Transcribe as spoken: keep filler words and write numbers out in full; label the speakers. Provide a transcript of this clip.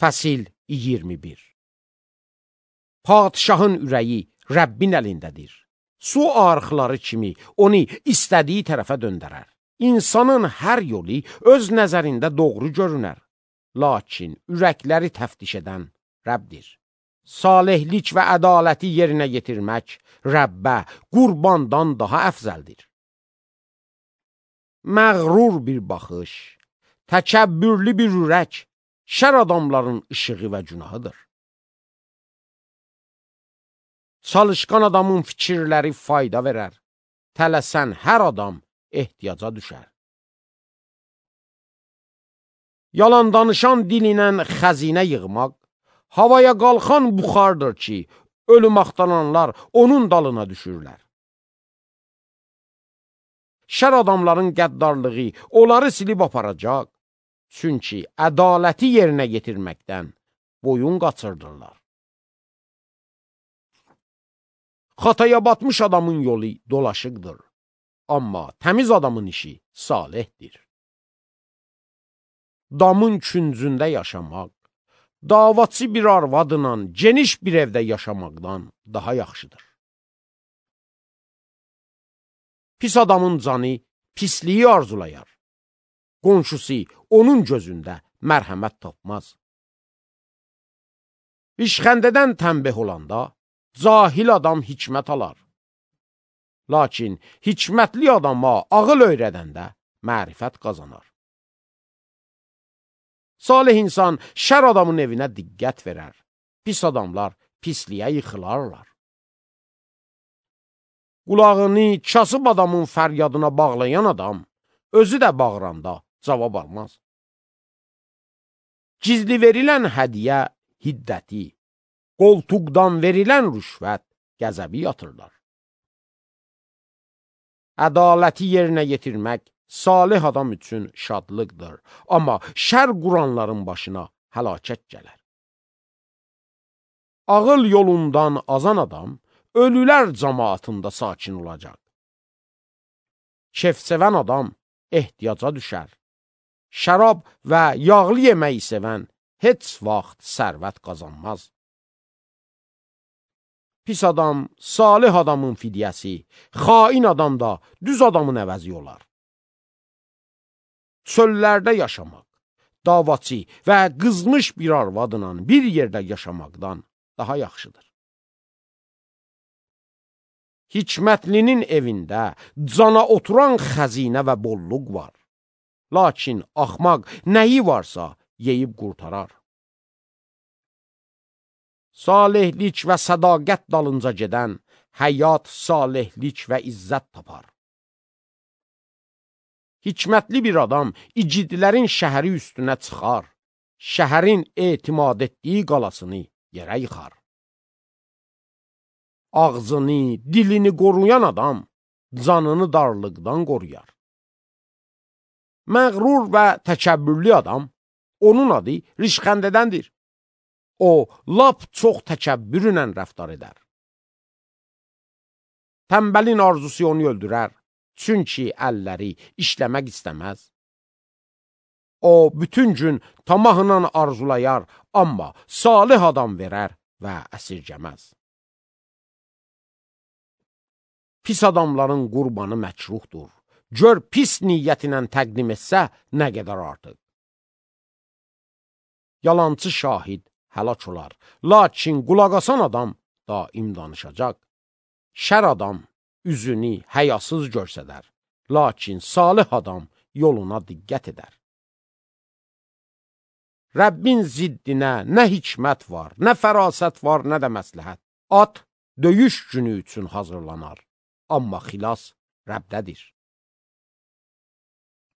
Speaker 1: Fəsil iyirmi bir. Padişahın ürəyi Rəbbin əlindədir. Su arxları kimi onu istədiyi tərəfə döndərər. İnsanın hər yolu öz nəzərində doğru görünər. Lakin ürəkləri təftiş edən Rəbdir. Salihlik və ədaləti yerinə yetirmək Rəbbə qurbandan daha əfzəldir. Məğrur bir baxış, təkəbbürlü bir ürək, şər adamların işığı və günahıdır. Çalışqan adamın fikirləri fayda verər, tələsən hər adam ehtiyaca düşər. Yalan danışan dilinən xəzinə yığmaq, havaya qalxan buxardır ki, ölüm axtaranlar onun dalına düşürlər. Şər adamların qəddarlığı onları silib aparacaq, çünki ədaləti yerinə yetirməkdən boyun qaçırdırlar. Xataya batmış adamın yolu dolaşıqdır, amma təmiz adamın işi salihdir. Damın küncündə yaşamaq, davaçı bir arvadla geniş bir evdə yaşamaqdan daha yaxşıdır. Pis adamın canı pisliyi arzulayar. Qonşusu onun gözündə mərhəmət tapmaz. İşxəndədən tənbeh olanda cahil adam hikmət alar. Lakin hikmətli adama ağıl öyrədəndə mərifət qazanar. Salih insan şər adamın evinə diqqət verər. Pis adamlar pisliyə yıxılarlar. Qulağını kasıb adamın fəryadına bağlayan adam, özü də bağıranda cavab almaz. Gizli verilən hədiyə hiddəti, qoltuqdan verilən rüşvət qəzəbi yatırlar. Ədaləti yerinə yetirmək salih adam üçün şadlıqdır, amma şər quranların başına həlakət gələr. Ağıl yolundan azan adam, ölülər cəmaatında sakin olacaq. Kef-sevən adam ehtiyaca düşər. Şərab və yağlı yeməyi sevən heç vaxt sərvət qazanmaz. Pis adam, salih adamın fidyəsi, xain adam da düz adamın əvəzi olar. Çöllərdə yaşamaq, davaçı və qızmış bir arvadla bir yerdə yaşamaqdan daha yaxşıdır. Hikmətlinin evində cana oturan xəzinə və bolluq var. Lakin axmaq nəyi varsa yeyib qurtarar. Salihlik və sədaqət dalınca gedən həyat, salihlik və izzət tapar. Hikmətli bir adam icidlərin şəhəri üstünə çıxar, şəhərin etimad etdiyi qalasını yerə yıxar. Ağzını, dilini qoruyan adam canını darlıqdan qoruyar. Məğrur və təkəbbürlü adam, onun adı rişxəndədəndir. O, lap çox təkəbbürlə rəftar edər. Tənbəlin arzusu onu öldürər, çünki əlləri işləmək istəməz. O, bütün gün tamahla arzulayar, amma salih adam verər və əsirgəməz. Pis adamların qurbanı məkruhdur. Gör pis niyyətinə təqdim etsə nə qədər artıq. Yalancı şahid həlak olar, lakin qulaq asan adam daim danışacaq. Şər adam üzünü həyasız görsədər, lakin salih adam yoluna diqqət edər. Rəbbin ziddinə nə hikmət var, nə fərasət var, nə də məsləhət. At döyüş günü üçün hazırlanar, amma xilas Rəbdədir.